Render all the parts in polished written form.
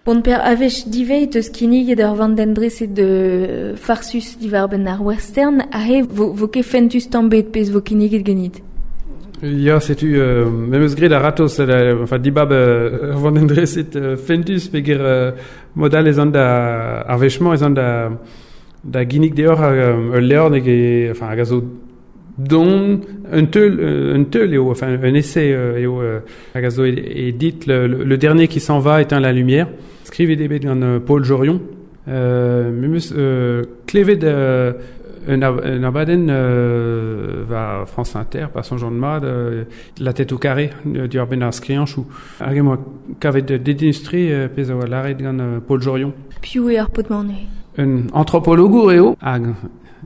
Bon per a-wech diveit eus kinniget ur vandenn dreset farsus diwar-benn ar western, aze vo, vo ket fentus tamm bet pezh vo kinniget ganit. Ya, setu, me 'm eus graet a-ratozh, enfin, dibab ur vandenn dreset fentus peger mod all ez an da ar wech-mañ ez an da da ginnig deoc'h ul levr n'eo ket, enfin, hag a zo don un teul un teul eo, enfin un essai eo hag a zo e ditl Le dernier qui s'en va éteint la lumière. Skrivet eo bet gant Paul Jorion. Me 'm eus klevet un un abadenn war France Inter, pa soñjan mat, La tête au carré, diwar-benn ar skriañchoù. Hag em boa kavet dedennus-tre pezh a oa lâret gant Paul Jorion. Piv eo ar paotr-mañ neuze? Un antropologour eo, hag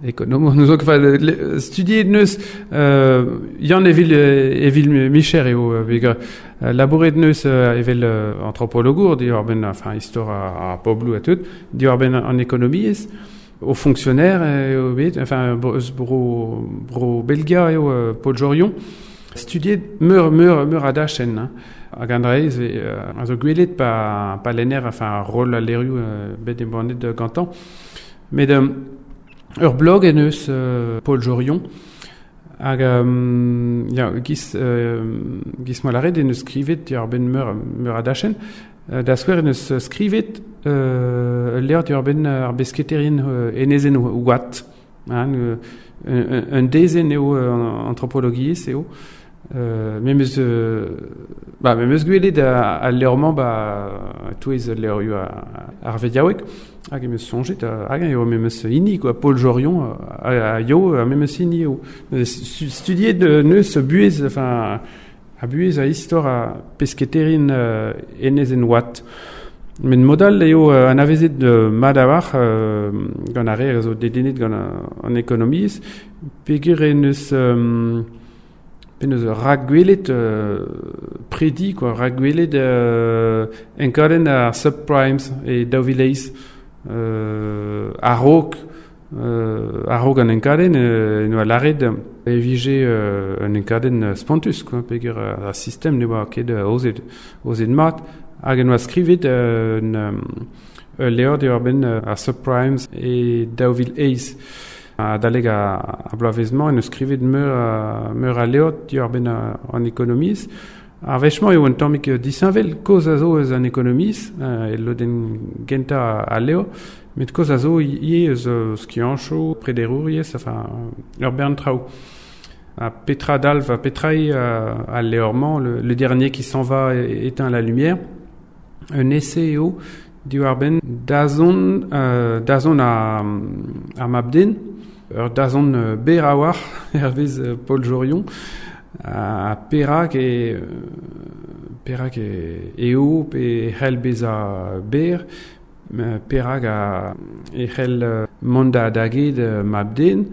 Ekonomour n'eus ket studiet neus Yann evil evil micher eo peogwir labouret neus evel antropologour diwar-benn enfin istor ar pobloù ha tout diwar-benn an ekonomiezh o fonctionnaire eo bet enfin eus bro bro Belgia eo Paul Jorion studiet meur meur meur a dachenn hein. Hag an dra-se a zo gwelet pa pa lenner enfin roll al levrioù bet embannet gantañ Met ur blog en deus Paul Jorion hag ya giz giz ma lâret en deus skrivet diwar-benn meur meur a dachenn. Da skouer en deus skrivet ul levr diwar-benn ar besketerien enezenn Houat. Hein, un dezenn eo antropologiezh eo. Memes ba memes gwelet al levr-mañ ba e-touez levrioù ar vediaoueg hag em eus soñjet hag eo memes hini quoi Paul Jorion a yo memes hini eo studiet neus buhez enfin a buhez a istor a pesketerien enezenn Watt met mod all eo anavezet mat a-walc'h gant ar re a zo dedennet gant an ekonomiezh peogwir en deus Penaos rakgwelet predi quoi, rakgwelet enkadenn ar subprimes e 2008 a-raok a-raok an enkadenn en oa lâret e vije un enkadenn spontus quoi peogwir ar sistem ne oa ket aozet aozet mat hag en oa skrivet un ul levr diwar-benn ar subprimes e 2008. Adalek ar bloavezh-mañ en deus skrivet meur a, meur a levr diwar-benn an ekonomiezh. Ar wech-mañ eo un tammig disheñvel. Kaoz a zo eus an ekonomiezh, e lodenn gentañ al levr, met kaoz a zo ivez eus skianchoù, prederouriezh, enfin ur bern traoù. Ha petra dalv, petra eo al levr-mañ, le, le dernier qui s'en va éteint la lumière. Un essai eo Diwar-benn dazont dazont ar mab-den, ur dazont berr a-walc'h hervez Paul Jorion, ha perak e perak eo pe e c'hell bezañ berr, perak e c'hell mont da da get mab-den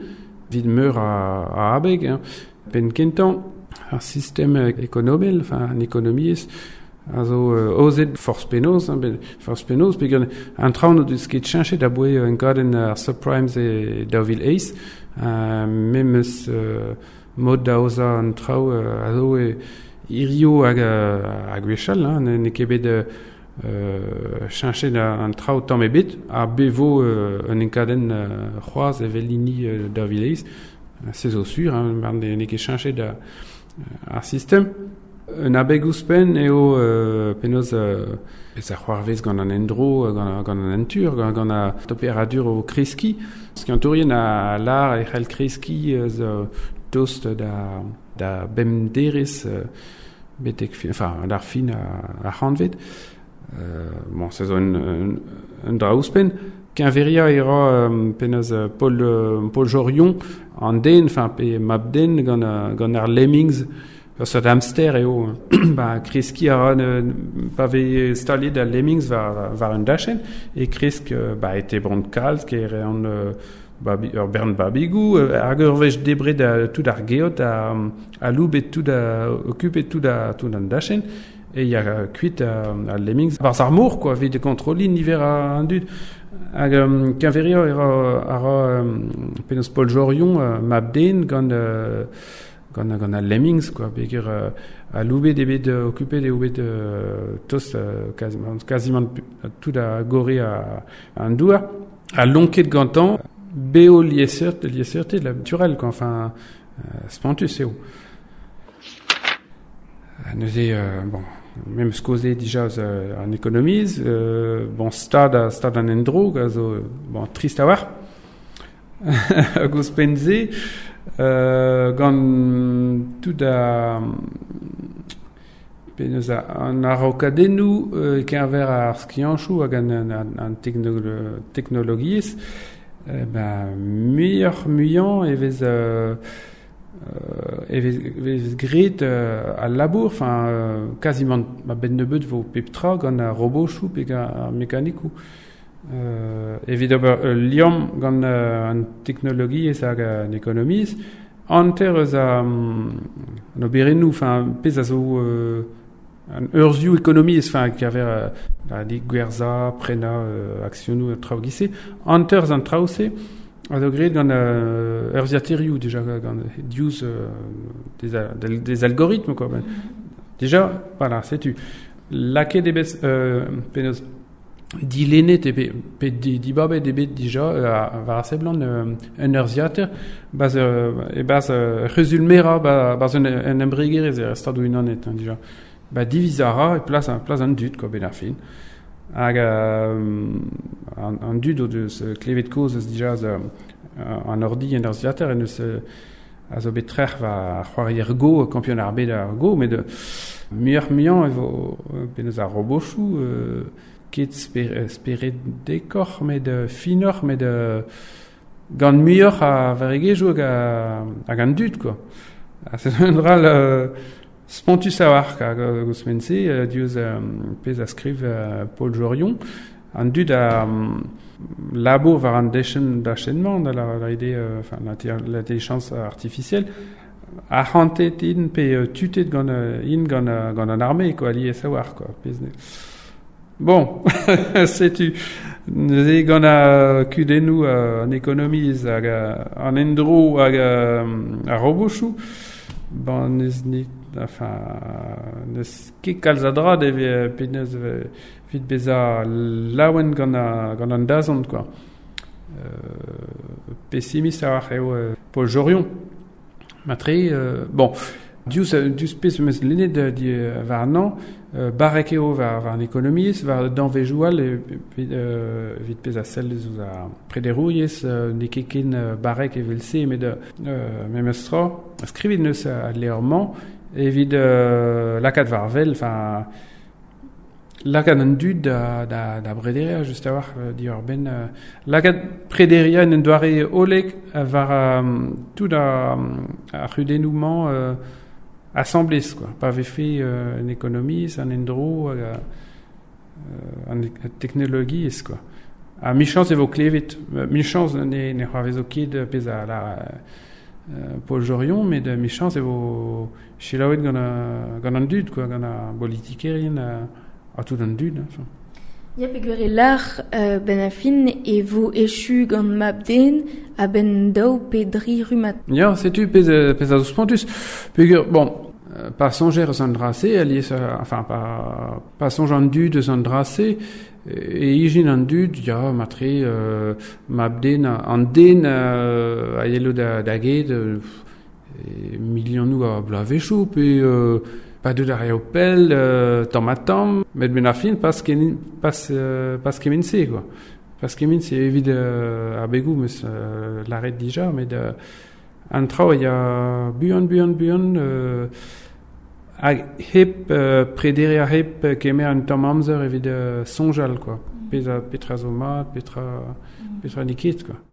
evit meur a abeg. Penn-kentañ ar sistem ekonomel, enfin an ekonomiezh, a zo aozet forzh penaos, hein, forzh penaos, peogwir an traoù n'o deus ket cheñchet aboae enkadenn ar subprimes e 2008, memes mod da aozañ an traoù a zo hiziv hag ha gwechall, hein, n'eo ket bet cheñchet an traoù tamm ebet, ha bez 'vo un enkadenn c'hoazh evel hini 2008, se zo sur, hein, mar n'eo ket cheñchet ar sistem. Un abeg ouzhpenn eo penaos pezh a c'hoarvez gant an endro, gant an natur, gant an temperadur o kreskiñ. Skiantourien a lâr e c'hell kreskiñ eus tost da da bemp derez betek enfin d'ar fin ar c'hantved. Bon, se zo un, un dra ouzhpenn. Keñveriañ e ra penaos Paul, Paul Jorion an den, enfin pe mab-den gant, gant ar lemmings. Ur seurt hamster eo. Ba, kreskiñ a ra pa vez staliet al lemmings war, war un dachenn e kresk ba, e tebront kalz, e reont babi, ur bern babigoù hag ur wech debret tout ar geot aloubet tout okupet tout, tout an dachenn e ya kuit al lemmings barzh ar mor quoi evit kontrolliñ niver an dud hag keñveriañ a ra penaos Paul Jorion mab-den gant. gant, gant al lemmings, quoi, peogwir aloubet eo bet, okupet eo bet tost quasiment, quasiment tout a gorre an douar, ha lonket gantañ beo liesseurt, liesseurted naturel, quoi, enfin, spontus eo. Neuze, bon, me 'meus kaozeet dija eus an ekonomiezh, bon, stad, stad an endro, a zo, bon, trist a-walc'h. Hag ouzhpenn-se, gant tout ar penaos an araokadennoù e-keñver ar skianchoù hag an teknologiezh, ben muioc'h-muiañ e vez graet al labour, enfin quasiment a-benn nebeut vo pep tra gant ar robotoù pe gant ar mekanikoù. Evit ober ul liamm gant an teknologiezh hag an ekonomiezh, hanter eus an oberennoù, enfin pezh a zo an urzhioù ekonomiezh, enfin e-keñver gwerzhañ, prenañ aksionoù ha traoù giz-se, hanter eus an traoù-se a zo graet gant urzhiataerioù dija, gant diouzh des algorithmes, quoi. Déjà, voilà, setu. Lakaet eo bet penaos dilennet eo bet pe dibabet eo bet dija war a seblant un urzhiataer barzh e-barzh c'huzul-merañ barzh un embregerezh er Stadoù-Unanet, hein, dija. Ba diviz a ra e plas an dud, quoi, benn ar fin. Hag an dud o deus klevet kaoz eus dija eus an ordi en urzhiataer en deus a zo bet trec'h war c'hoarier Go, kampion ar bed ar Go, met muioc'h-muiañ e vo penaos ar robotoù ket speredekoc'h, met finoc'h, met gant muioc'h a varregezhioù hag an dud, quoi. Ha c'est un dra spontus a-walc'h, hag ouzhpenn-se, diouzh pezh a skriv Paul Jorion, an dud a labour war an dachenn-mañ, da lavaret eo enfin, l'intelligence artificielle, arc'hantet int pe tutet gant int gant an armée, quoi, alies a-walc'h, quoi. Bon, setu neuze gant ar kudennoù an ekonomiezh hag an endro hag ar robotoù, bon, n'eus net, enfin, n'eus ket kalz a dra penaos evit bezañ laouen gant an dazont, quoi. Pessimist a-walc'h eo Paul Jorion. Matre, bon, diouzh pezh 'm eus lennet warnañ, barrek eo war an ekonomiezh, war danvezioù all evit pezh a sell eus ar prederouriezh, n'eo ket ken barrek evel-se, met memes tra, skrivet neus al levr-mañ evit lakaat war wel, enfin, lakaat an dud da brederiañ just a-walc'h diwar-benn lakaat prederiañ en un doare hollek war tout ar c'hudennoù-mañ asambles, quoi. Pa vefe an ekonomiezh, an endro hag an teknologiezh, quoi. Ha michañs e vo klevet, michañs ne c'hoarvezo ket pezh a lar Paul Jorion, met michañs e vo selaouet gant an dud, quoi, gant ar bolitikerien ha tout an dud, hein. Ya, peogwir e lar benn ar fin e vo echu gant mab-den a-benn daou pe dri rummad. Ya, setu pezh a zo spontus. Peogwir, bon, pa soñjer eus an dra-se, alies, enfin, pa soñj an dud eus an dra-se, e ijin an dud, ya, matre, mab-den, an den a yelo da get milionoù a bloavezhioù, pe pa deut ar reoù pell, tamm ha tamm, met benn ar fin pas kement-se, quoi. Pas kement-se evit ar begoù 'meus lâret dija, met an traoù a ya buan, buan, buan, hag hep prederiañ, hep kemer un tamm amzer evit soñjal, quoi. Pezh a petra zo mat, petra n'eo ket, quoi.